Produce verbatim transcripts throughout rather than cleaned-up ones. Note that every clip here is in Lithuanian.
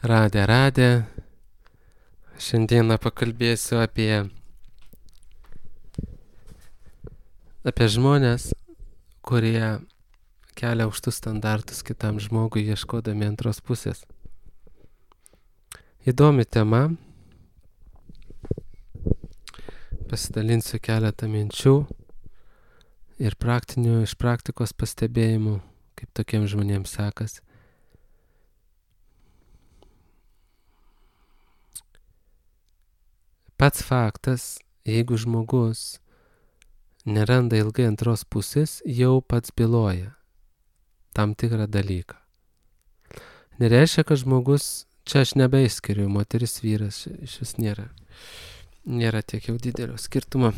Radė, radė. Šiandieną pakalbėsiu apie, apie žmonės, kurie kelia aukštus standartus kitam žmogui, ieškodami antros pusės. Įdomi tema. Pasidalinsiu keletą minčių ir praktinių, iš praktikos pastebėjimų, kaip tokiems žmonėms sekasi. Pats faktas, jeigu žmogus neranda ilgai antros pusės, jau pats byloja tam tikrą dalyką. Nereiškia, kad žmogus, čia aš nebeiskiriu, moteris, vyras, iš vis nėra. Nėra tiek jau didelio skirtumo,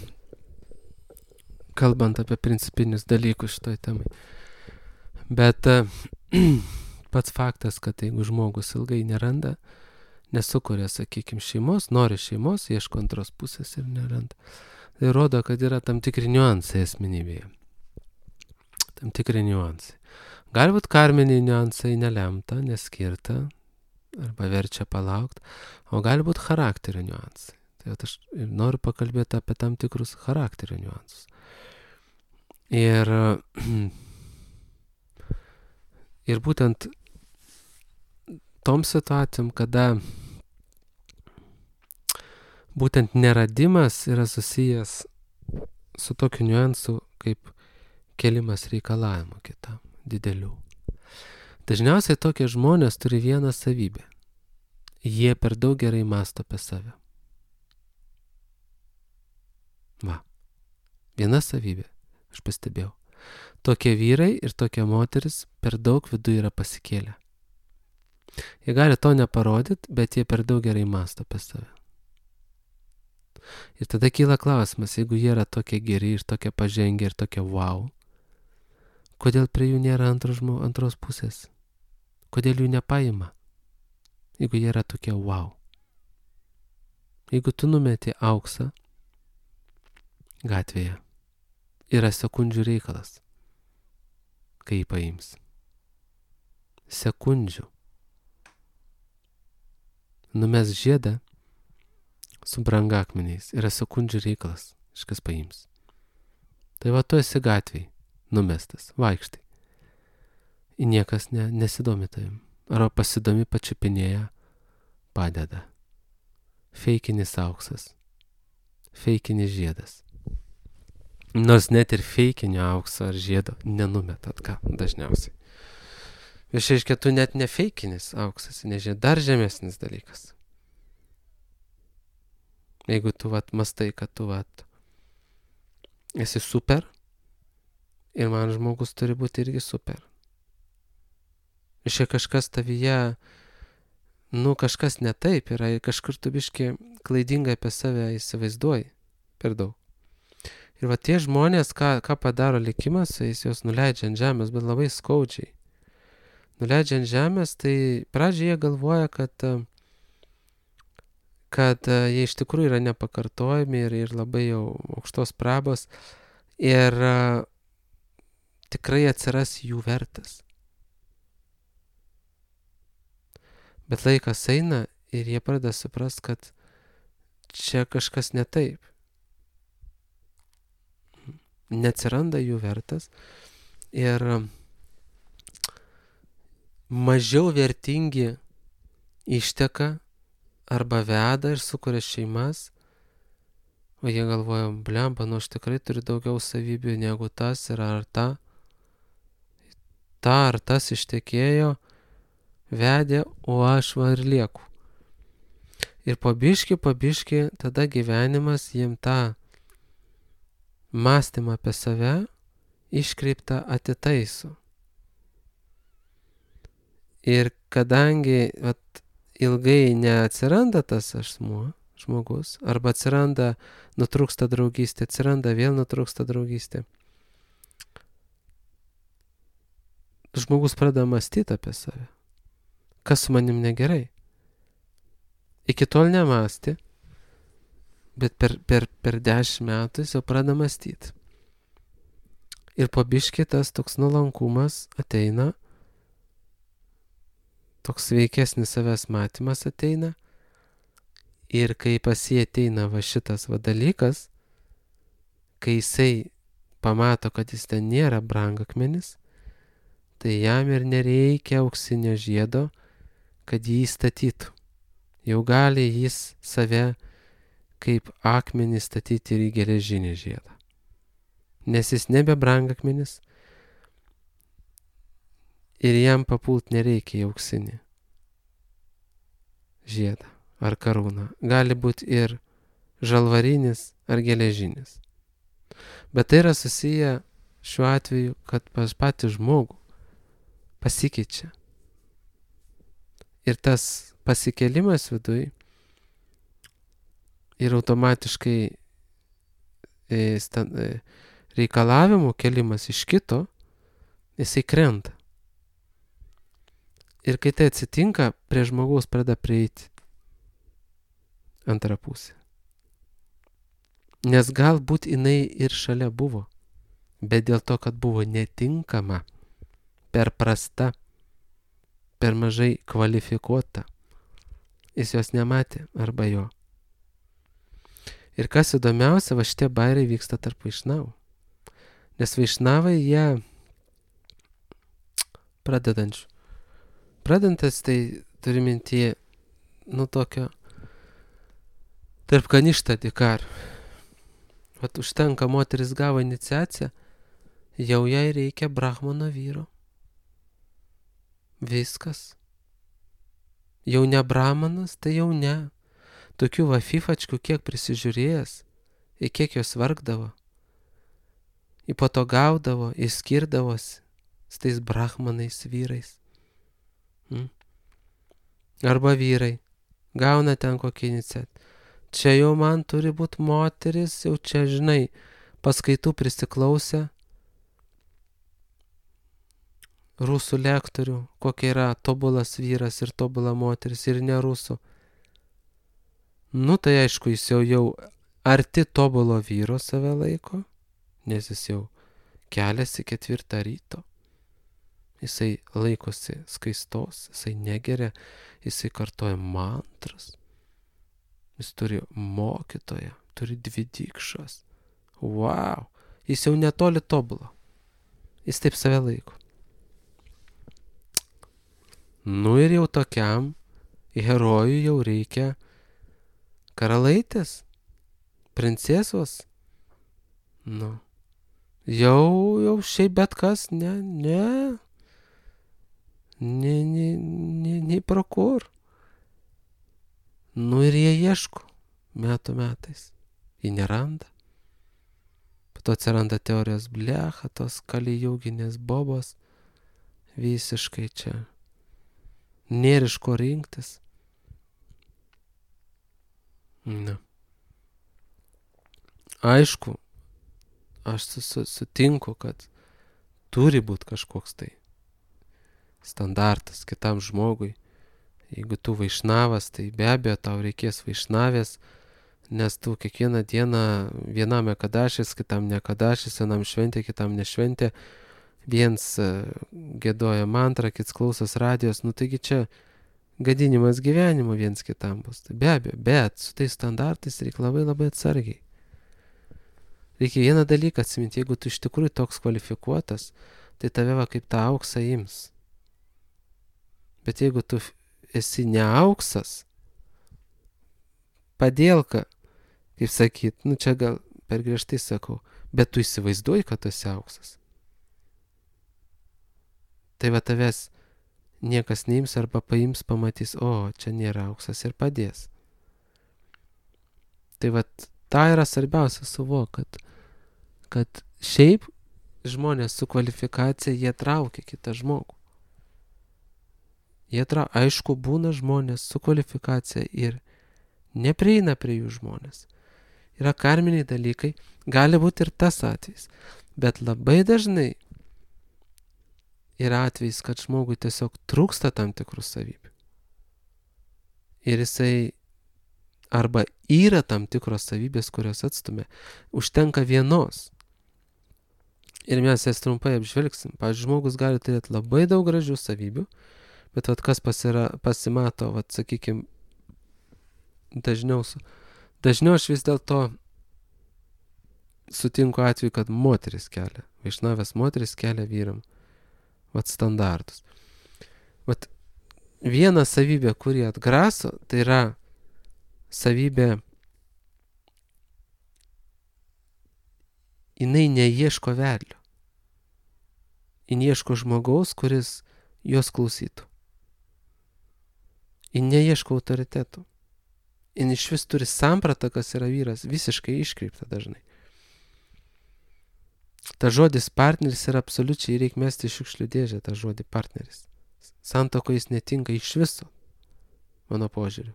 kalbant apie principinius dalykus šitoj temai. Bet pats faktas, kad jeigu žmogus ilgai neranda, nesukuria, sakykime, šeimos, nori šeimos, ieško antros pusės ir neranda. Tai rodo, kad yra tam tikri niuansai asmenybėje. Tam tikri niuansai. Galbūt karminiai niuansai nelemta, neskirta, arba verčia palaukti, o galbūt charakterio niuansai. Tai aš noriu pakalbėti apie tam tikrus charakterio niuansus. Ir, ir būtent tom situacijom, kada būtent neradimas yra susijęs su tokiu niuansu, kaip kelimas reikalavimų kitam, didelių. Dažniausiai tokie žmonės turi vieną savybę. Jie per daug gerai mąsto apie save. Va. Viena savybė, aš pastebėjau. Tokie vyrai ir tokie moteris per daug viduje yra pasikėlę. Jie gali to neparodyti, bet jie per daug gerai mąsto apie save. Ir tada kyla klausimas, jeigu jie yra tokie geri ir tokie pažengę ir tokie wow, kodėl prie jų nėra antros, antros pusės? Kodėl jų nepaima? Jeigu jie yra tokie wow. Jeigu tu numeti auksą gatvėje, yra sekundžių reikalas, kai jį paims. Sekundžių. Numes žiedą su brangakmeniais, yra sekundžių reikalas, kažkas paims. Tai va, tu esi gatvėj, numestas, vaikštai. Ir niekas ne, nesidomi tavim. Arba pasidomi, pačiupinėja, padeda. Feikinis auksas. Feikinis žiedas. Nors net ir feikinio aukso ar žiedo nenumetat, ką dažniausiai. Išaiškia, tu net ne feikinis auksas, nežinai, dar žemesnis dalykas. Jeigu tu vat mastai, kad tu vat esi super ir man žmogus turi būti irgi super. Išai kažkas tavyje, nu kažkas ne taip yra ir kažkur tu biški klaidingai apie save įsivaizduoji per daug. Ir va tie žmonės, ką, ką padaro likimas, jis juos nuleidžia ant žemės, bet labai skaudžiai. Nuleidžia ant žemės, tai pradžioje jie galvoja, kad, kad jie iš tikrųjų yra nepakartojami ir, ir labai jau aukštos prabos ir uh, tikrai atsiras jų vertas. Bet laikas eina ir jie pradeda suprast, kad čia kažkas ne taip. Neatsiranda jų vertas ir uh, mažiau vertingi išteka arba veda ir sukuria šeimas, o jie galvoja, blemba, nu aš tikrai turiu daugiau savybių negu tas ir ar ta. Ta ar tas ištekėjo, vedė, o aš va ir lieku. Ir po biškį, po biškį, tada gyvenimas jiem tą mąstymą apie save iškreiptą atitaiso. Ir kadangi vat, ilgai neatsiranda tas asmuo, žmogus, arba atsiranda, nutrūksta draugystė, atsiranda, vėl nutrūksta draugystė, žmogus pradeda mąstyti apie save. Kas su manim negerai? Iki tol nemąstė, bet per, per, per dešimt metų jis jau pradeda mąstyti. Ir po biškį tas toks nuolankumas ateina, toks sveikesnis savęs matymas ateina. Ir kai pas jį ateina va šitas va dalykas, kai jisai pamato, kad jis ten nėra brangakmenis, tai jam ir nereikia auksinio žiedo, kad jį statytų. Jau gali jis save kaip akmenį statyti ir į geležinį žiedą. Nes jis nebe brangakmenis ir jam papult nereikia į auksinį žiedą ar karūną. Gali būti ir žalvarinis ar geležinis. Bet tai yra susiję šiuo atveju, kad pas patį žmogų pasikeičia. Ir tas pasikėlimas viduj ir automatiškai e, stand, e, reikalavimų kelimas iš kito, jisai krenta. Ir kai tai atsitinka, prie žmogaus pradeda prieiti antra pusė. Nes galbūt jinai ir šalia buvo, bet dėl to, kad buvo netinkama, per prasta, per mažai kvalifikuota, jis jos nematė arba jo. Ir kas įdomiausia, va šitie bairiai vyksta tarp vaišnavų. Nes vaišnavai jie pradedančių. Pradedantas tai turi mintyje, nu tokio, tarp kaništą dikar. Vat užtenka, moteris gavo iniciaciją, jau jai reikia brahmano vyro. Viskas. Jau ne brahmanas, tai jau ne. Tokių va fifačkių kiek prisižiūrėjęs, į kiek jos vargdavo, į po to gaudavo, įskirdavosi su tais brahmanais vyrais. Hmm? Arba vyrai gauna ten kokį iniciatyvą. Čia jau man turi būti moteris, jau čia, žinai, paskaitų prisiklausę rusų lektorių, kokia yra tobulas vyras ir tobula moteris ir ne rusų. Nu tai aišku, jis jau jau arti tobulo vyro save laiko, nes jis jau keliasi ketvirtą ryto. Jisai laikosi skaistos, jisai negeria, jisai kartoja mantras. Jis turi mokytoją, turi dvi dykšas. Wow, jis jau netoli tobulo. Jis taip save laiko. Nu ir jau tokiam herojui jau reikia karalaitės, princesos. Nu, jau, jau šiaip bet kas, ne, ne, ne, ne, ne, ne pro kur. Nu ir jie ieško metų metais. Jie neranda. Po to atsiranda teorijos blecha, tos kalijūginės bobos. Visiškai čia. Nėr iš ko rinktis. Na. Aišku, aš sutinku, kad turi būti kažkoks tai standartas kitam žmogui. Jeigu tu vaišnavas, tai be abejo tau reikės vaišnavės, nes tu kiekvieną dieną vienam ekadašis, kitam ne ekadašis, vienam šventė, kitam nešventė, viens giedoja mantrą, kits klausos radijos, nu taigi čia gadinimas gyvenimo viens kitam bus. Tai be abejo, bet su tais standartais reikia labai labai atsargiai. Reikia vieną dalyką atsiminti, jeigu tu iš tikrųjų toks kvalifikuotas, tai tave va kaip tą auksą ims. Bet jeigu tu esi ne auksas, padėlka, kaip sakyt, nu čia gal per griežtai sakau, bet tu įsivaizduoji, kad tu esi auksas. Tai va tavęs niekas neims arba paims, pamatys, o čia nėra auksas ir padės. Tai va ta yra svarbiausia suvok, kad, kad šiaip žmonės su kvalifikacija, jie traukia kitą žmogų. Jie tra, aišku, būna žmonės su kvalifikacija ir neprieina prie jų žmonės. Yra karminiai dalykai, gali būti ir tas atvejis. Bet labai dažnai yra atvejis, kad žmogui tiesiog trūksta tam tikrų savybių. Ir jisai arba yra tam tikros savybės, kurios atstumia. Užtenka vienos. Ir mes jas trumpai apžvelgsim. Pavyzdžiui, žmogus gali turėti labai daug gražių savybių, Bet vat kas pasira, pasimato, vat sakykim, dažniau, dažniau aš vis dėlto sutinku atveju, kad moteris kelia, vaišnavės moteris kelia vyram, vat standartus. Vat viena savybė, kuri atgraso, tai yra savybė, jinai neieško vedlio. Jin ieško žmogaus, kuris jos klausytų. Jin neieško autoritetų. Jin iš vis turi sampratą, kas yra vyras, visiškai iškreipta dažnai. Ta žodis partneris yra absoliučiai, reikia mesti šiukšlių dėžę, tą žodį partneris. Santoko jis netinka iš viso, mano požiūriu.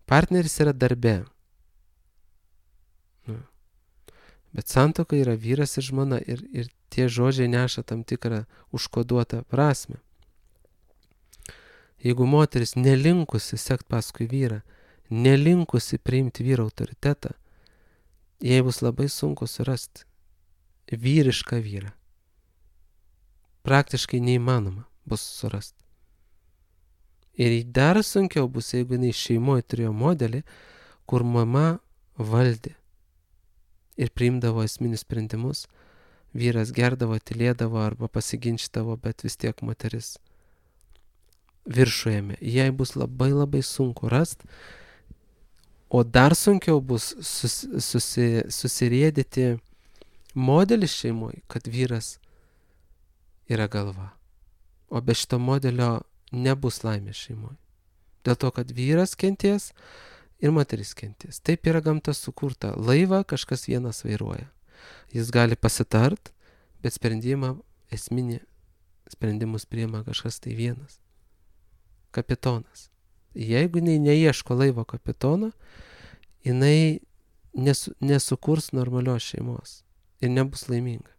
Partneris yra darbe. Nu. Bet santuoka yra vyras ir žmona ir, ir tie žodžiai neša tam tikrą užkoduotą prasme. Jeigu moteris nelinkusi sekt paskui vyrą, nelinkusi priimti vyro autoritetą, jai bus labai sunku surasti vyrišką vyrą. Praktiškai neįmanoma bus surasti. Ir dar sunkiau bus, jeigu jinai šeimoje turėjo modelį, kur mama valdė ir priimdavo esminius sprendimus, vyras gerdavo, tylėdavo arba pasiginčydavo, bet vis tiek moteris viršujame. Jai bus labai labai sunku rasti, o dar sunkiau bus sus, susi, susirėdyti modelis šeimoje, kad vyras yra galva. O be šito modelio nebus laimės šeimoje. Dėl to, kad vyras kenties ir moteris kenties. Taip yra gamta sukurta. Laivą kažkas vienas vairuoja. Jis gali pasitart, bet sprendimą, esminį sprendimus priima kažkas tai vienas. Kapitonas. Jeigu jinai neieško laivo kapitono, jinai nesu, nesukurs normalios šeimos ir nebus laiminga.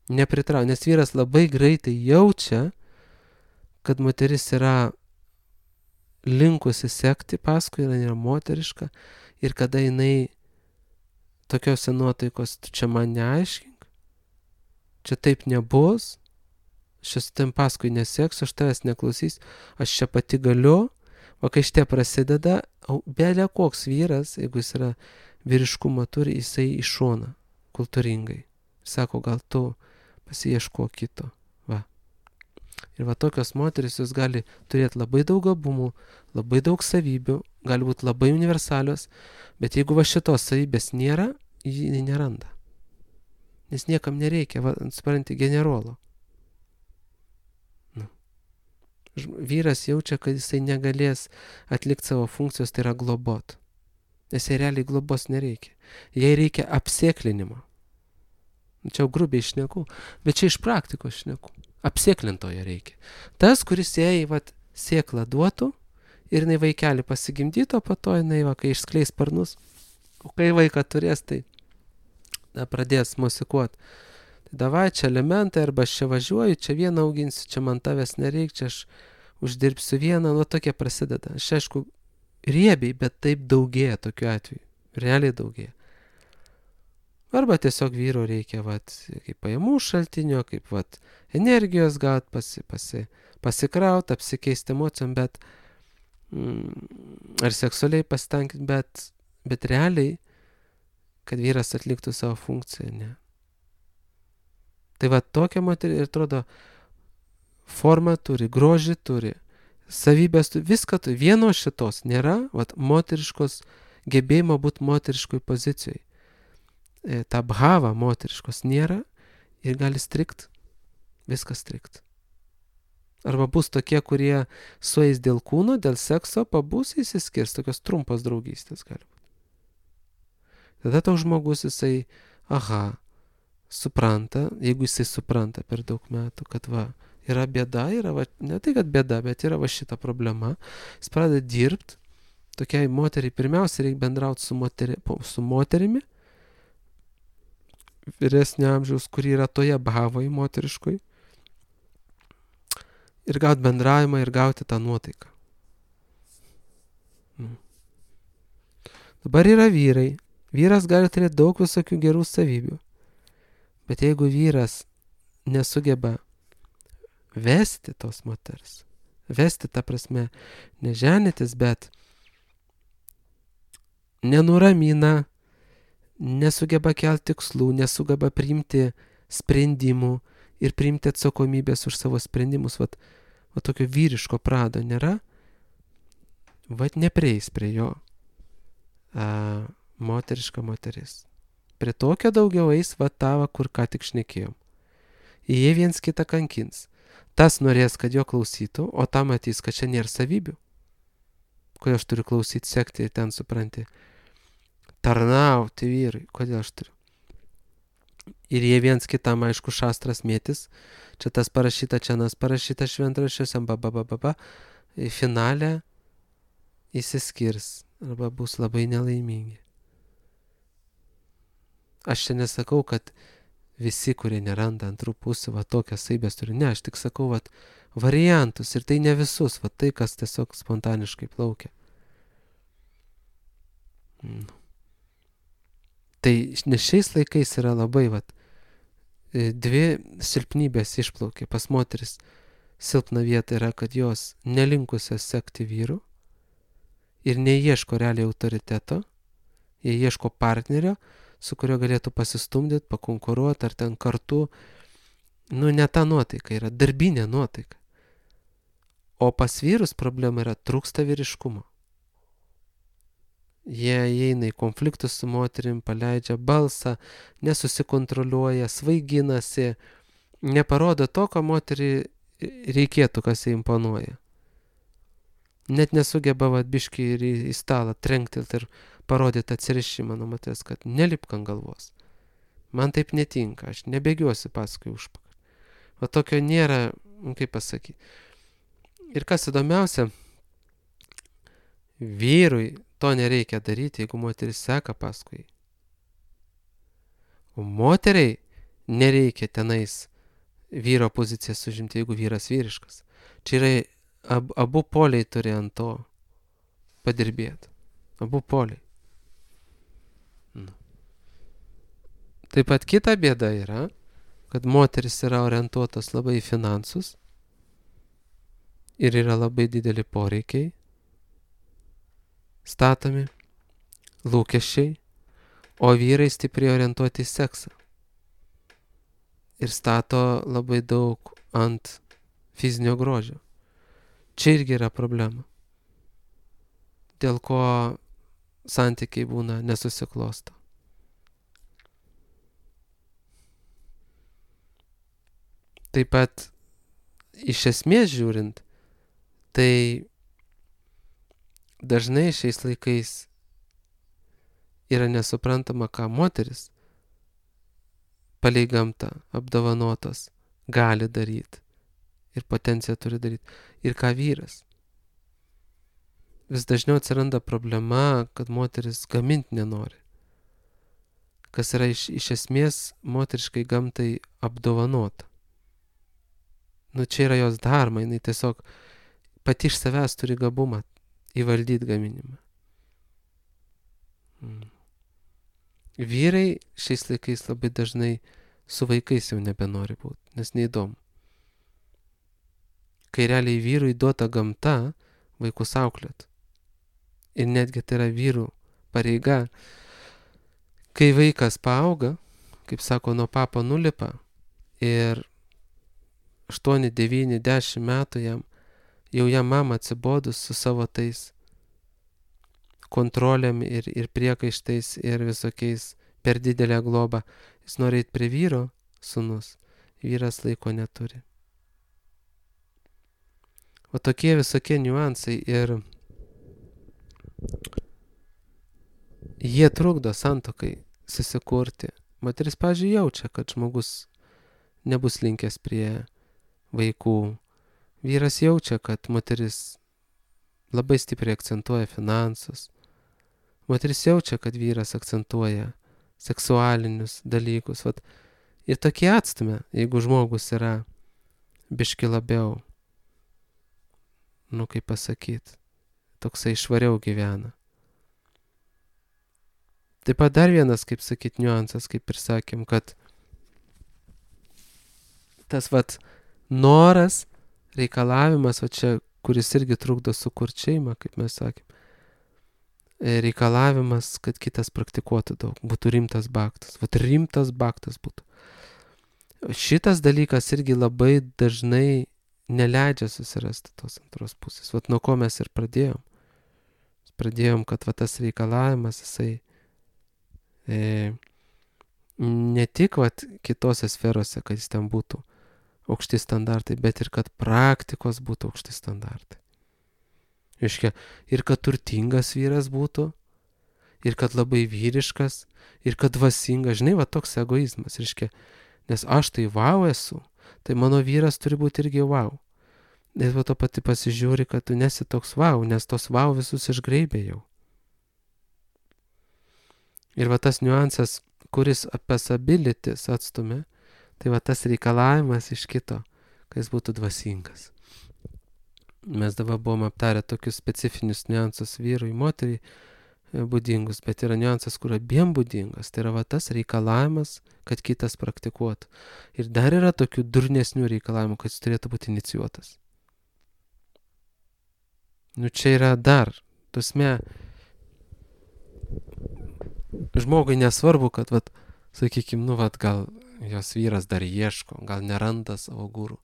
Nepritrau, nes vyras labai greitai jaučia, kad moteris yra linkusi sekti paskui, jinai yra moteriška ir kada jinai tokiose nuotaikos, tu čia man neaiškink, čia taip nebus, aš tam paskui neseks, aš tavęs neklausys, aš čia pati galiu, o kai šitie prasideda, belia koks vyras, jeigu jis yra vyriškumą turi, jisai iš šoną, kultūringai. Sako, gal tu pasiieško kito. Va. Ir va tokios moteris, jos gali turėti labai daug gabumų, labai daug savybių, gali būti labai universalios, bet jeigu va šitos savybės nėra, ji neranda. Nes niekam nereikia, va, supranti, generolo. Nu. Vyras jaučia, kad jisai negalės atlikti savo funkcijos, tai yra globot. Nes jai realiai globos nereikia. Jai reikia apsėklinimo. Čia jau grubiai šneku, bet čia iš praktikos šneku. Apsėklintojo reikia. Tas, kuris jai vat, sėklą duotų ir jinai vaikelį pasigimdyto, po to jinai, va, kai išskleis sparnus, o kai vaiką turės, tai da, pradės musikuoti. Tai davai, čia elementai, arba aš čia važiuoju, čia vieną auginsiu, čia man tavęs nereik, čia aš uždirbsiu vieną, nu tokie prasideda. Aš aišku, riebiai, bet taip daugėja tokiu atveju. Realiai daugėja. Arba tiesiog vyro reikia, vat, kaip pajamų šaltinio, kaip, vat, energijos gaut, pasi, pasi, pasikraut, apsikeisti emocijom, bet, mm, ar seksualiai pasitenkinti, bet, bet realiai, kad vyras atliktų savo funkciją, ne. Tai va, tokia moterį, ir atrodo, formą turi, grožį turi, savybės turi, viską turi, vieno šitos nėra, vat, moteriškos, gebėjimo būti moteriškoj pozicijoj. Ta bhava moteriškos nėra ir gali strikt, viskas strikt. Arba bus tokie, kurie sueis dėl kūno, dėl sekso, pabus įsiskirs, tokios trumpos draugystės gali būti. Tada toks žmogus jisai, aha, supranta, jeigu jisai supranta per daug metų, kad va, yra bėda, yra va, ne tai, kad bėda, bet yra va šita problema, jis pradeda dirbti, tokiai moteriai, pirmiausia reikia bendrauti su, moteri, su moterimi, vyresnio amžiaus, kuri yra toje bhavoj moteriškoj, ir gauti bendravimą ir gauti tą nuotaiką. Mm. Dabar yra vyrai. Vyras gali turėti daug visokių gerų savybių. Bet jeigu vyras nesugeba vesti tos moters. Vesti, ta prasme, neženytis, bet nenuramina, nesugeba kelti tikslų, nesugeba priimti sprendimų ir priimti atsakomybės už savo sprendimus. Vat, vat tokio vyriško prado nėra, vat neprieis prie jo a, moteriška moteris. Prie tokio daugiau eis vat tava, kur ką tik šnekėjom. Jie viens kitą kankins. Tas norės, kad jo klausytų, o ta matys, kad čia nėra savybių. Kodėl aš turiu klausyti, sekti ir ten supranti. Tarnauti vyrui. Kodėl aš turiu? Ir jie viens kitam, aišku, šastras mėtis. Čia tas parašyta, čia nas parašyta šventraščiuose, ba, ba, ba, ba, ba. Finale įsiskirs arba bus labai nelaimingi. Aš čia nesakau, kad visi, kurie neranda antrų pusių, va tokias saibės turi. Ne, aš tik sakau, va variantus ir tai ne visus, va tai, kas tiesiog spontaniškai plaukia. Mm. Tai nes šiais laikais yra labai, va, dvi silpnybės išplaukia. Pas moteris silpna vieta yra, kad jos nelinkusios sekti vyrų ir neieško realiai autoriteto, jie ieško partnerio, su kurio galėtų pasistumdyti, pakonkuruoti ar ten kartu. Nu, ne ta nuotaika, yra darbinė nuotaika. O pas vyrus problema yra trūksta vyriškumo. Jie įeina į konfliktus su moterim, paleidžia balsą, nesusikontroliuoja, svaiginasi, neparodo to, ko moterį reikėtų, kas jai imponuoja. Net nesugeba vatbiškai ir į stalą trenkti ir parodyti atsirišimą nuo moters, kad nelipk ant galvos. Man taip netinka, aš nebėgiuosi paskui užpakalį. O tokio nėra, kaip pasakyti. Ir kas įdomiausia, vyrui to nereikia daryti, jeigu moteris seka paskui. O moteriai nereikia tenais vyro pozicijas užimti, jeigu vyras vyriškas. Čia yra ab, abu poliai turi ant to padirbėti. Abu poliai. Nu. Taip pat kita bėda yra, kad moteris yra orientuotos labai į finansus ir yra labai dideli poreikiai, statomi, lūkesčiai, o vyrai stipriai orientuoti į seksą. Ir stato labai daug ant fizinio grožio. Čia irgi yra problema. Dėl ko santykiai būna nesusiklosto. Taip pat iš esmės žiūrint, tai dažnai šiais laikais yra nesuprantama, ką moteris palei gamtą apdovanotos gali daryti ir potenciją turi daryti, ir ką vyras. Vis dažniau atsiranda problema, kad moteris gaminti nenori, kas yra iš, iš esmės moteriškai gamtai apdovanota. Nu čia yra jos dharma, jinai tiesiog pati iš savęs turi gabumą įvaldyti gaminimą. Mm. Vyrai šiais laikais labai dažnai su vaikais jau nebenori būti, nes neįdomu. Kai realiai vyrui duota gamta vaikus auklėt. Ir netgi tai yra vyrų pareiga. Kai vaikas paauga, kaip sako, nuo papo nulipa ir aštuoni, devyni, dešimt metų jam, jau jam mama atsibodus su savo tais kontrolėm ir, ir priekaištais ir visokiais per didelę globą. Jis nori eiti prie vyro, sūnus, vyras laiko neturi. O tokie visokie niuansai ir jie trukdo santuokai susikurti. Moteris, pavyzdžiui, jaučia, kad žmogus nebus linkęs prie vaikų. Vyras jaučia, kad moteris labai stipriai akcentuoja finansus. Moteris jaučia, kad vyras akcentuoja seksualinius dalykus. Vat. Ir tokie atstumia, jeigu žmogus yra biški labiau, nu kaip pasakyti, toksai švariau gyvena. Taip pat dar vienas, kaip sakyti, niuansas, kaip ir sakėm, kad tas vat noras, reikalavimas, va čia, kuris irgi trukdo sukurti šeimą, kaip mes sakėm. Reikalavimas, kad kitas praktikuotų daug, būtų rimtas baktas. Vat rimtas baktas būtų. Šitas dalykas irgi labai dažnai neleidžia susirasti tos antros pusės. Vat nuo ko mes ir pradėjom. Pradėjom, kad va tas reikalavimas, jisai e, ne tik vat kitose sferose, kad jis ten būtų aukšti standartai, bet ir kad praktikos būtų aukšti standartai. Iškia, ir kad turtingas vyras būtų, ir kad labai vyriškas, ir kad dvasingas, žinai, va toks egoizmas, iškia, nes aš tai vau esu, tai mano vyras turi būti irgi vau. Ir va to pati pasižiūri, kad tu nesi toks vau, nes tos vau visus išgraibė jau. Ir va tas niuansas, kuris apesabilitis atstumė, tai va tas reikalavimas iš kito, kad jis būtų dvasingas. Mes dabar buvom aptarę tokius specifinius niuansus vyrui, moteriai būdingus, bet yra niuansas, kur abiem būdingas. Tai yra va tas reikalavimas, kad kitas praktikuotų. Ir dar yra tokių durnesnių reikalavimų, kad jis turėtų būti inicijuotas. Nu čia yra dar, tusme, žmogui nesvarbu, kad, vat, sakykim, nu, vat, gal jos vyras dar ieško, gal neranda savo gurų.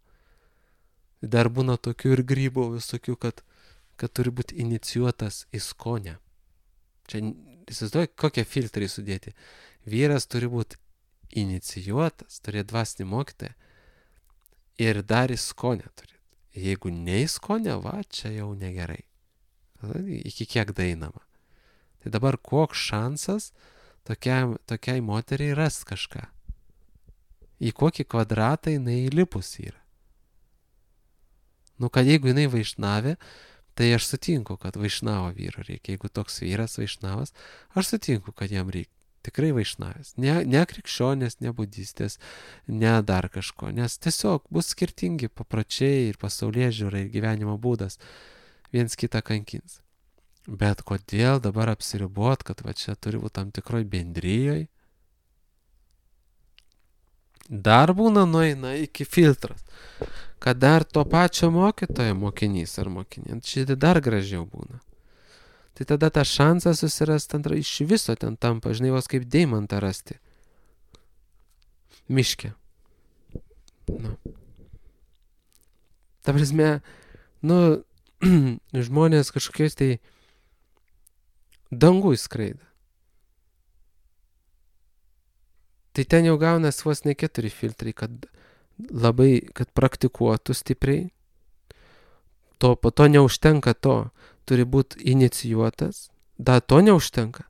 Dar būna tokių ir grybų visokių, kad, kad turi būti inicijuotas į skonę. Čia, įsivaizduoju, kokie filtrai sudėti. Vyras turi būti inicijuotas, turi dvasinį mokytoją ir dar į skonę turi. Jeigu ne į skonę, va, čia jau negerai. Iki kiek dainama. Tai dabar koks šansas tokiai, tokiai moteriai rast kažką. Į kokį kvadratą jinai įlipus yra. Nu, kad jeigu jinai vaišnavė, tai aš sutinku, kad vaišnavo vyro reikia. Jeigu toks vyras vaišnavas, aš sutinku, kad jam reikia. Tikrai vaišnavęs. Ne, ne krikščionės, ne budistės, ne dar kažko. Nes tiesiog bus skirtingi papročiai ir pasaulėžiūra ir gyvenimo būdas. Viens kitą kankins. Bet kodėl dabar apsiribot, kad va čia turi būti tam tikroj bendryjoj? Dar būna nueina iki filtras. Kad dar to pačio mokytojo mokinys ar mokinė, šitai dar gražiau būna. Tai tada tą šansą susirasti antrą iš viso ten tampa, žinai, vos kaip deimantą rasti. Miške. Nu. Ta prasme, nu, žmonės kažkokiais tai dangui skraida. Tai ten jau gaunas vos ne keturi filtrai, kad labai, kad praktikuotų stipriai. To, po to neužtenka to. Turi būti inicijuotas. Da, to neužtenka.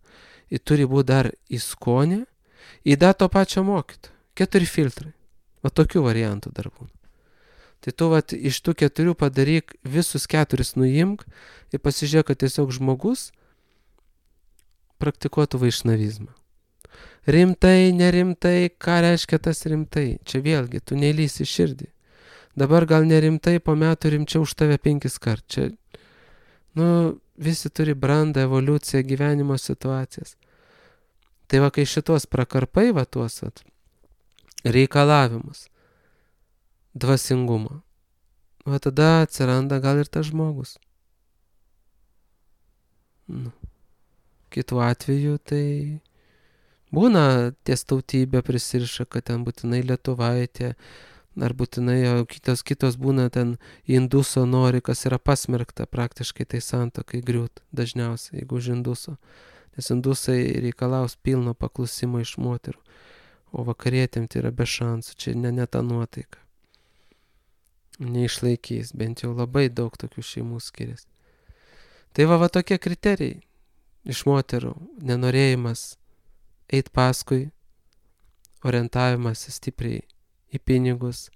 Ir turi būti dar į skonę. Ir da to pačio mokyto. Keturi filtrai. Va tokių variantų dar būna. Tai tu vat, iš tų keturių padaryk, visus keturis nuimk ir pasižiūrėk, kad tiesiog žmogus praktikuotų vaišnavizmą. Rimtai, nerimtai, ką reiškia tas rimtai? Čia vėlgi, tu neįlysi širdį. Dabar gal nerimtai, po metų rimčiau už tave penkis kart. Čia, nu, visi turi brandą, evoliuciją, gyvenimo situacijas. Tai va, kai šitos prakarpai, va, tuos va, reikalavimus, dvasingumo, va, tada atsiranda gal ir tas žmogus. Nu, kitu atveju, tai būna ties tautybė prisiriša, kad ten būtinai lietuvaitė, ar būtinai, o kitos, kitos būna ten induso nori, kas yra pasmerkta praktiškai tai santuokai griūt dažniausiai, jeigu už induso. Nes indusai reikalaus pilno paklusimo iš moterų, o vakarietėm tai yra be šansų, čia ne, ne ta nuotaika. Neišlaikys, bent jau labai daug tokių šeimų skiriasi. Tai va, va tokie kriterijai iš moterų, nenorėjimas eit paskui, orientavimas stipriai į pinigus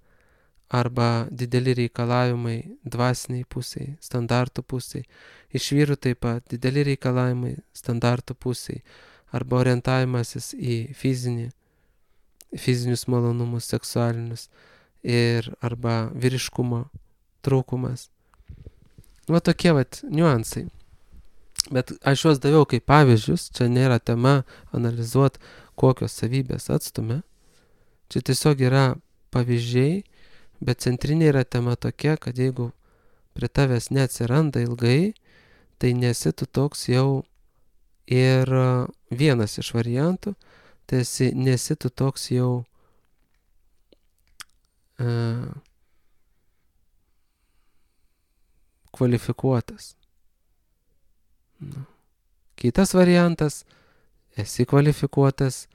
arba dideli reikalavimai dvasiniai pusiai, standartų pusiai. Iš vyrų taip pat dideli reikalavimai standartų pusiai arba orientavimasis į fizinį, fizinius malonumus, seksualinius ir arba vyriškumo trūkumas. Va tokie vat niuansai. Bet aš juos daviau kaip pavyzdžius, čia nėra tema analizuoti, kokios savybės atstumia. Čia tiesiog yra pavyzdžiai, Bet centrinė yra tema tokia, kad jeigu prie tavęs neatsiranda ilgai, tai nesi tu toks jau ir vienas iš variantų, tai esi, nesi tu toks jau uh, kvalifikuotas. Nu. Kitas variantas, esi kvalifikuotas,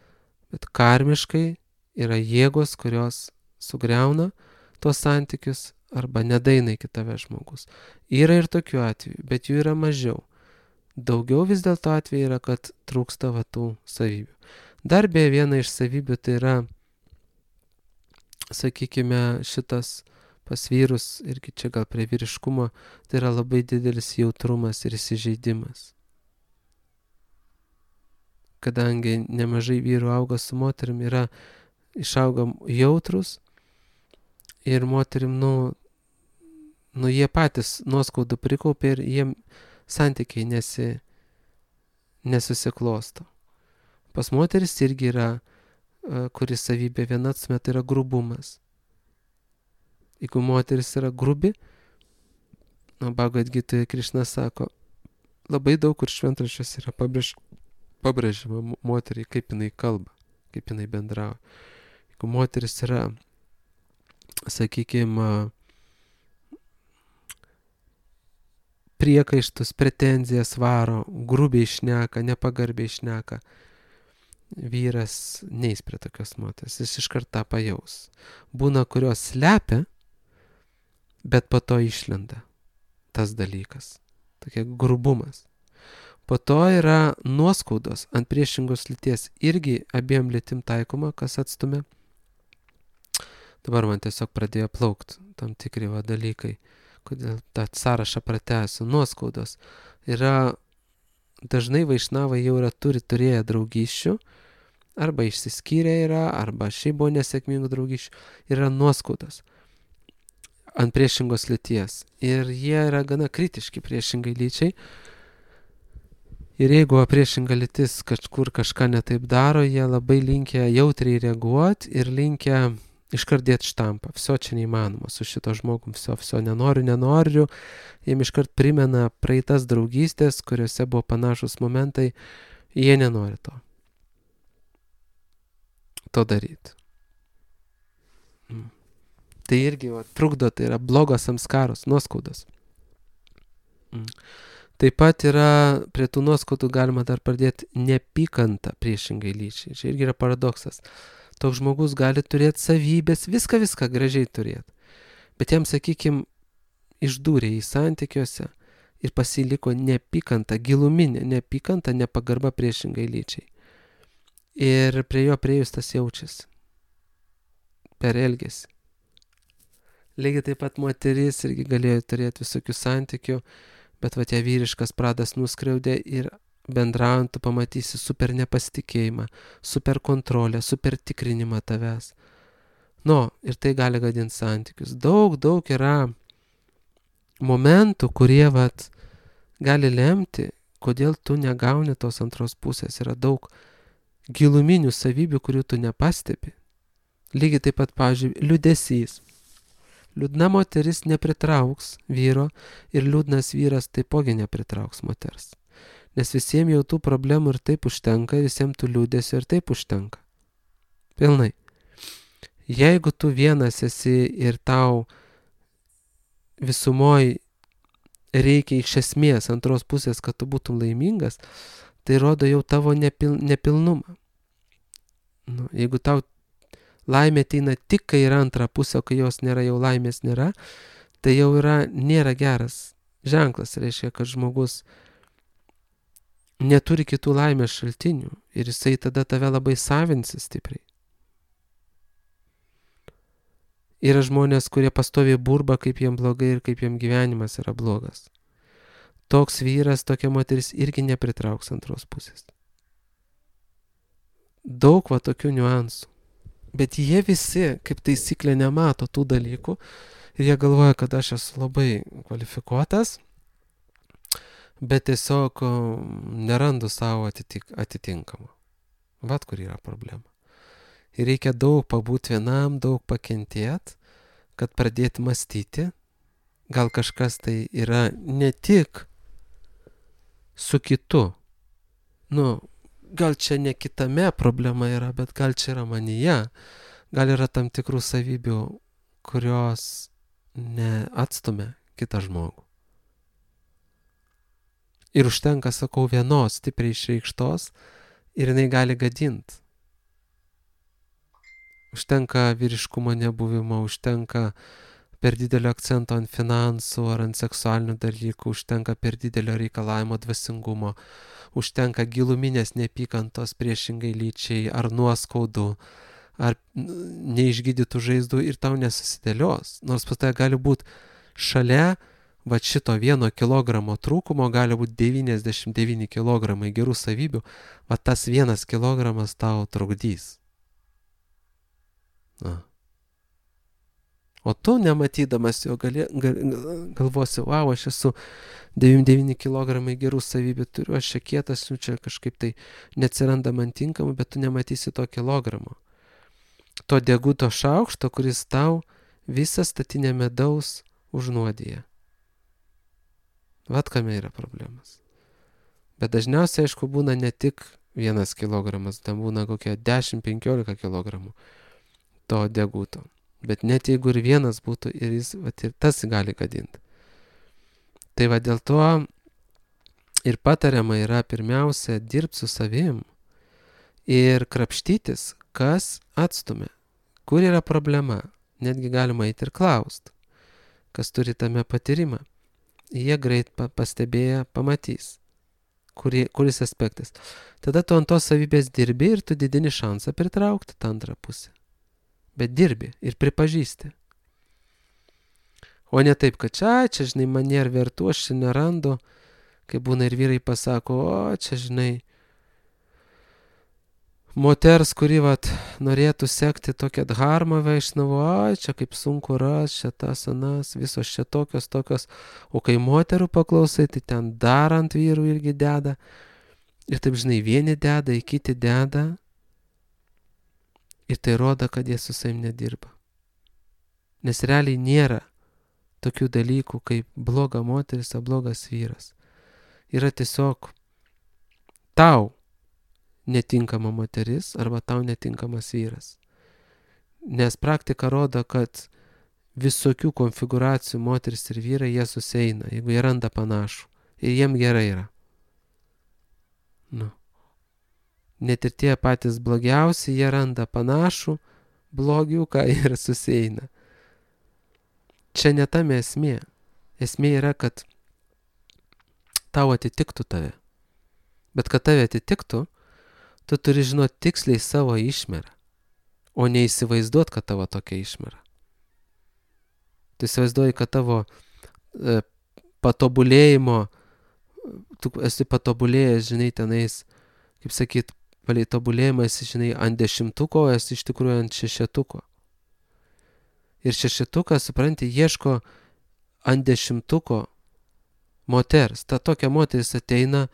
bet karmiškai yra jėgos, kurios sugriauna tuos santykius arba nedaina iki tave žmogus. Yra ir tokių atvejų, bet jų yra mažiau. Daugiau vis dėlto atveju yra, kad trūksta va tų savybių. Dar beje viena iš savybių tai yra, sakykime, šitas pas vyrus, irgi čia gal prie vyriškumo, tai yra labai didelis jautrumas ir įsižeidimas. Kadangi nemažai vyrų auga su moterim, yra išauga jautrus ir moterim, nu, nu jie patys nuoskaudų prikaupė ir jiem santykiai nesi, nesusiklosto. Pas moteris irgi yra, kuris savybė viena atsme, tai yra grubumas. Jeigu moteris yra grubi, nu, Bhagavad Gitoje Krišna sako, labai daug kur šventraščiuose yra pabrėž, pabrėžima moteriai, kaip jinai kalba, kaip jinai bendrauja. Jeigu moteris yra, sakykime, priekaištus, pretenzijas varo, grubiai šneka, nepagarbiai šneka, vyras neis prie tokios moters, jis iš karto pajaus. Būna, kurios slepia, bet po to išlenda tas dalykas, tokia grubumas. Po to yra nuoskaudos ant priešingos lyties, irgi abiem lytim taikoma, kas atstumia. Dabar man tiesiog pradėjo plaukti tam tikri va dalykai, kodėl tą sąrašą pratęsiu. Nuoskaudos yra, dažnai vaišnavai jau yra turi turėję draugysčių, arba išsiskyrę yra, arba šiaip buvo nesėkmingų draugysčių, yra nuoskaudos ant priešingos lyties. Ir jie yra gana kritiški priešingai lyčiai. Ir jeigu priešinga lytis kažkur kažką netaip daro, jie labai linkę jautriai reaguoti ir linkę iškart dėti štampą. Viso čia neįmanoma su šito žmogum, viso, viso nenoriu, nenoriu. Jiem iškart primena praeitas draugystės, kuriuose buvo panašus momentai, jie nenori to. To daryti. Mm. Tai irgi va, trukdo, tai yra blogos samskaros, nuoskaudos. Mm. Taip pat yra, prie tų nuoskaudų galima dar pradėti neapykantą priešingai lyčiai. Čia irgi yra paradoksas. Toks žmogus gali turėti savybės, viską, viską gražiai turėti. Bet jam, sakykime, išdūrė į santykiuose ir pasiliko neapykanta, giluminė neapykanta, nepagarba priešingai lyčiai. Ir prie jo priejus tas jaučiasi. Per elgesį. Lygiai taip pat moteris irgi galėjo turėti visokių santykių, bet va tie vyriškas pradas nuskriaudė ir bendraujant tu pamatysi super nepasitikėjimą, super kontrolę, super tikrinimą tavęs. Nu, ir tai gali gadinti santykius. Daug, daug yra momentų, kurie vat gali lemti, kodėl tu negauni tos antros pusės. Yra daug giluminių savybių, kurių tu nepastebi. Lygiai taip pat, pavyzdžiui, liūdesys. Liūdna moteris nepritrauks vyro ir liūdnas vyras taipogi nepritrauks moters. Nes visiems jau tų problemų ir taip užtenka, visiems tų liūdesio ir taip užtenka. Pilnai. Jeigu tu vienas esi ir tau visumoj reikia iš esmės antros pusės, kad tu būtum laimingas, tai rodo jau tavo nepil, nepilnumą. Nu, jeigu tau laimė ateina tik, kai yra antra pusė, o kai jos nėra, jau laimės nėra, tai jau yra, nėra geras ženklas. Reiškia, kad žmogus neturi kitų laimės šaltinių ir jisai tada tave labai savinsi stipriai. Yra žmonės, kurie pastoviai burba, kaip jiem blogai ir kaip jiem gyvenimas yra blogas. Toks vyras, tokia moteris irgi nepritrauks antros pusės. Daug va tokių niuansų. Bet jie visi, kaip taisyklė, nemato tų dalykų ir jie galvoja, kad aš esu labai kvalifikuotas, bet tiesiog nerandu savo atitik, atitinkamą. Vat kur yra problema. Ir reikia daug pabūti vienam, daug pakentėti, kad pradėti mąstyti, gal kažkas tai yra ne tik su kitu. Nu, gal čia ne kitame problema yra, bet gal čia yra manyje. Gal yra tam tikrų savybių, kurios neatstumia kitą žmogų. Ir užtenka, sakau, vienos stipriai išreikštos ir jinai gali gadint. Užtenka vyriškumo nebuvimo, užtenka per didelio akcento ant finansų ar ant seksualinių dalykų, užtenka per didelio reikalavimo dvasingumo, užtenka giluminės neapykantos priešingai lyčiai ar nuoskaudų, ar neišgydytų žaizdų ir tau nesusidėlios. Nors pas tai gali būti šalia va šito vieno kilogramo trūkumo, gali būti devyniasdešimt devyni kilogramai gerų savybių, va tas vienas kilogramas tau trukdys. Na. O tu, nematydamas jo, gali, gal, galvosi, wow, aš esu devyniasdešimt devyni kilogramai gerų savybių turiu, aš čia kietas, nu čia kažkaip tai neatsiranda man tinkamų, bet tu nematysi to kilogramo. To deguto šaukšto, kuris tau visą statinę medaus užnuodija. Vat kame yra problemas. Bet dažniausiai, aišku, būna ne tik vienas kilogramas, tam būna kokie dešimt penkiolika kilogramų to deguto. Bet net jeigu ir vienas būtų, ir jis, vat, ir tas gali gadinti. Tai va dėl to ir patariama yra pirmiausia dirbti su savim ir krapštytis, kas atstumia, kur yra problema. Netgi galima eiti ir klausti, kas turi tame patyrimą. Jie greit pastebėję pamatys, kuri, kuris aspektas. Tada tu ant tos savybės dirbi ir tu didini šansą pritraukti tą antrą pusę. Bet dirbi ir pripažįsti. O ne taip, kad čia, čia, žinai, mane ir vertu, aš čia nerandu, kai būna ir vyrai pasako, o čia, žinai, moters, kuri vat norėtų sekti tokią dharmą Vaišnavo, o čia kaip sunku ras, čia tas, anas, visos čia tokios, tokios. O kai moterų paklausai, tai ten dar ant vyrų irgi deda. Ir taip, žinai, vieni deda, į kiti deda. Ir tai rodo, kad jie su savim nedirba. Nes realiai nėra tokių dalykų kaip bloga moteris ar blogas vyras. Yra tiesiog tau netinkama moteris arba tau netinkamas vyras. Nes praktika rodo, kad visokių konfiguracijų moteris ir vyrai jie susieina, jeigu jie randa panašų. Ir jiem gerai yra. Nu. Net ir tie patys blogiausi, jie randa panašų blogiuką ir susieina. Čia ne tame esmė. Esmė yra, kad tau atitiktų tave. Bet kad tave atitiktų, tu turi žinoti tiksliai savo išmerą, o ne įsivaizduot, kad tavo tokia išmera. Tu įsivaizduoji, kad tavo e, patobulėjimo, tu esi patobulėjęs, žinai, tenais, kaip sakyt, palei tobulėjimą esi, žinai, ant dešimtuko, esi iš tikrųjų ant šešetuko. Ir šešetukas, supranti, ieško ant dešimtuko moters. Ta tokia moteris ateina,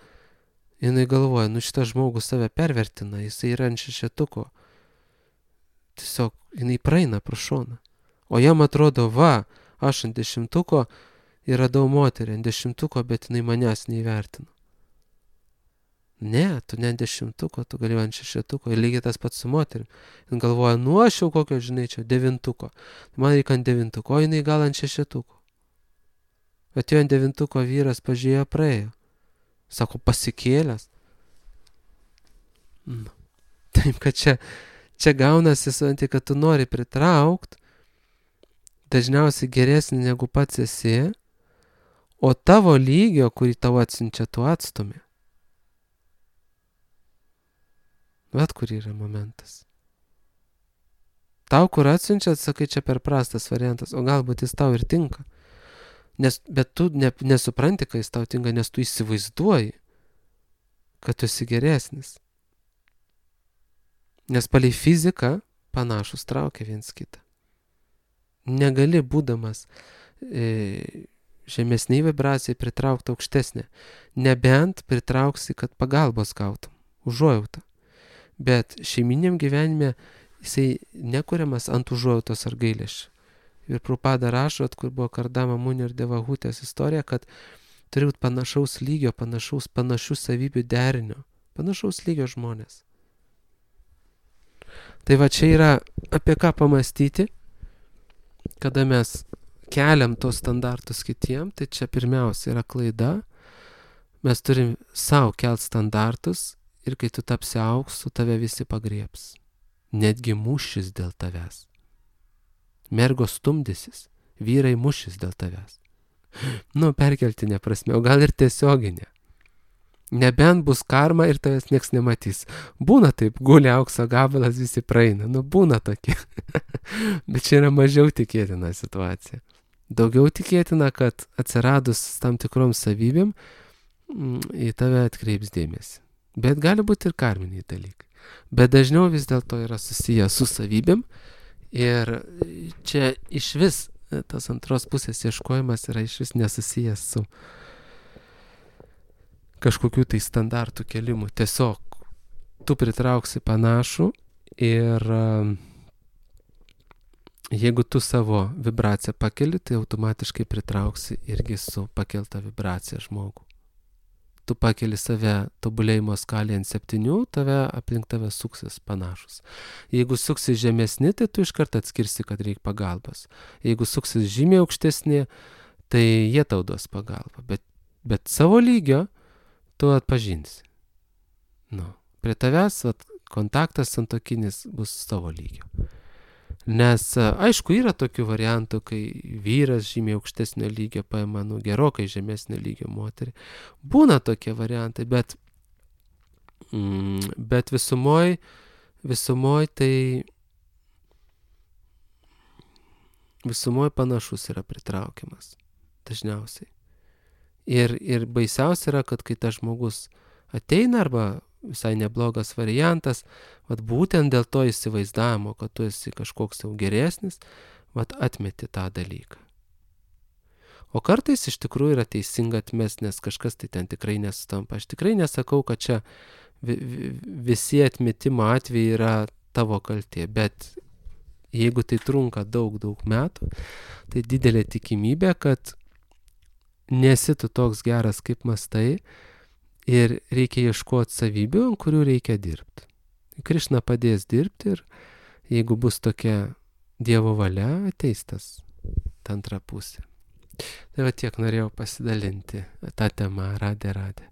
jinai galvoja, nu šitas žmogus save pervertina, jisai yra ant šešetuko. Tiesiog jinai praeina pro šoną. O jam atrodo, va, aš ant dešimtuko ir radau moterį ant dešimtuko, bet jinai manęs neįvertino. Ne, tu ne ant dešimtuko, tu gali ant šešetuko. Ir lygiai tas pats su moterim. Jis galvoja, nu aš jau kokio, žinai, čia devintuko. Man reikia ant devintuko, o jinai gal ant šešetuko. Atėjo ant devintuko vyras, pažiūrėjo, praėjo. Sako, pasikėlęs. Nu. Taip, kad čia, čia gaunasi, suanti, kad tu nori pritraukti dažniausiai geresnį negu pats esi, o tavo lygio, kurį tau atsinčia, tu atstumi. Vat kur yra momentas. Tau, kur atsinčia, sakai, čia per prastas variantas, o galbūt jis tau ir tinka. Nes, bet tu ne, nesupranti, kai jis tau tinka, nes tu įsivaizduoji, kad tu esi geresnis. Nes palei fiziką panašus traukia viens kitą. Negali, būdamas e, žemesniai vibracijai, pritraukti aukštesnę. Nebent pritrauksi, kad pagalbos gautum, užuojautą. Bet šeiminiam gyvenime jisai nekuriamas ant užuojautos ar gailesčio. Ir Prabhupada rašo, kur buvo Kardama Muni ir Devahutės istorija, kad turi būti panašaus lygio, panašaus, panašių savybių derinio, panašaus lygio žmonės. Tai va čia yra apie ką pamastyti, kada mes keliam tos standartus kitiem, tai čia pirmiausia yra klaida. Mes turim savo kelt standartus ir kai tu tapsi auksu, tave visi pagriebs. Netgi mušis dėl tavęs. Mergos stumdysis, vyrai mušis dėl tavęs. Nu, perkeltinė prasme, o gal ir tiesioginė. Nebent bus karma ir tavęs nieks nematys. Būna taip, guli aukso gabalas, visi praeina. Nu, būna tokie. Bet čia yra mažiau tikėtina situacija. Daugiau tikėtina, kad atsiradus tam tikrom savybėm į tave atkreips dėmesį. Bet gali būti ir karminiai dalykai. Bet dažniau vis dėlto yra susiję su savybėm. Ir čia iš vis tas antros pusės ieškojimas yra iš vis nesusijęs su kažkokių tai standartų kelimu. Tiesiog tu pritrauksi panašų ir jeigu tu savo vibraciją pakeli, tai automatiškai pritrauksi irgi su pakelta vibracija žmogų. Tu pakeli save tobulėjimo skalėje ant septynių, tave aplink tave suksis panašus. Jeigu suksis žemesni, tai tu iškart atskirsi, kad reikia pagalbos. Jeigu suksis žymiai aukštesni, tai jie tau duos pagalbą. Bet, bet savo lygio tu atpažinsi. Nu, prie tavęs vat, kontaktas santuokinis bus savo lygio. Nes, aišku, yra tokių variantų, kai vyras žymiai aukštesnio lygio paima, nu, gerokai žemesnio lygio moterį. Būna tokie variantai, bet, mm, bet visumoj, visumoj tai visumoj panašus yra pritraukiamas dažniausiai. Ir, ir baisiausia yra, kad kai tas žmogus ateina arba visai neblogas variantas, vat būtent dėl to įsivaizdavimo, kad tu esi kažkoks jau geresnis, vat atmeti tą dalyką. O kartais iš tikrųjų yra teisinga atmesti, nes kažkas tai ten tikrai nesutampa. Aš tikrai nesakau, kad čia visi atmetimo atvejai yra tavo kaltė, bet jeigu tai trunka daug, daug metų, tai didelė tikimybė, kad nesi tu toks geras, kaip mastai, ir reikia ieškoti savybių, ant kurių reikia dirbti. Krišna padės dirbti ir jeigu bus tokia Dievo valia, ateis tas ta antra pusė. Tai va tiek norėjau pasidalinti tą temą. Radė, radė.